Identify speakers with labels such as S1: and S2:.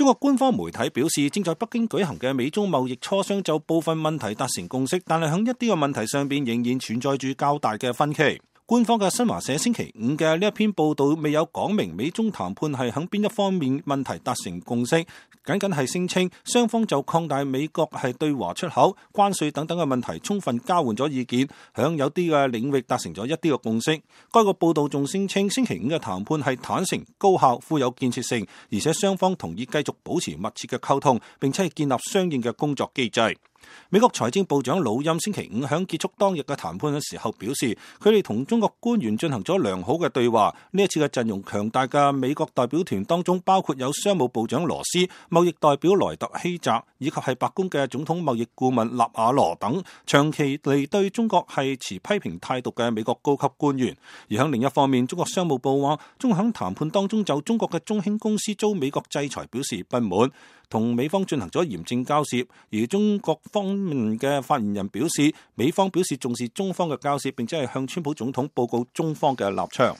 S1: 中國官方媒體表示，正在北京舉行嘅美中貿易磋商就部分問題達成共識，但係喺一啲嘅問題上邊仍然存在住較大嘅分歧。官方嘅新華社星期五嘅呢一篇報道未有講明美中談判係喺邊一方面問題達成共識，僅僅係聲稱雙方就擴大美國係對華出口、關稅等等嘅問題充分交換咗意見，響有啲嘅領域達成咗一啲嘅共識。該個報道仲聲稱星期五嘅談判係坦誠、高效、富有建設性，而且雙方同意繼續保持密切嘅溝通，並且係建立相應嘅工作機制。美國財政部長魯欽星期五響結束當日嘅談判嘅時候表示，佢哋同中國官員進行咗良好嘅對話。呢一次嘅陣容強大嘅美國代表團當中，包括有商務部長羅斯、貿易代表萊特希澤，以及係白宮嘅總統貿易顧問納瓦羅等長期嚟對中國係持批評態度嘅美國高級官員。而喺另一方面，中國商務部話，中國響談判當中就中國嘅中興公司遭美國制裁表示不滿，同美方進行咗嚴正交涉。而中國方面嘅發言人表示，美方表示重視中方嘅交涉，並且係向川普總統報告中方嘅立場。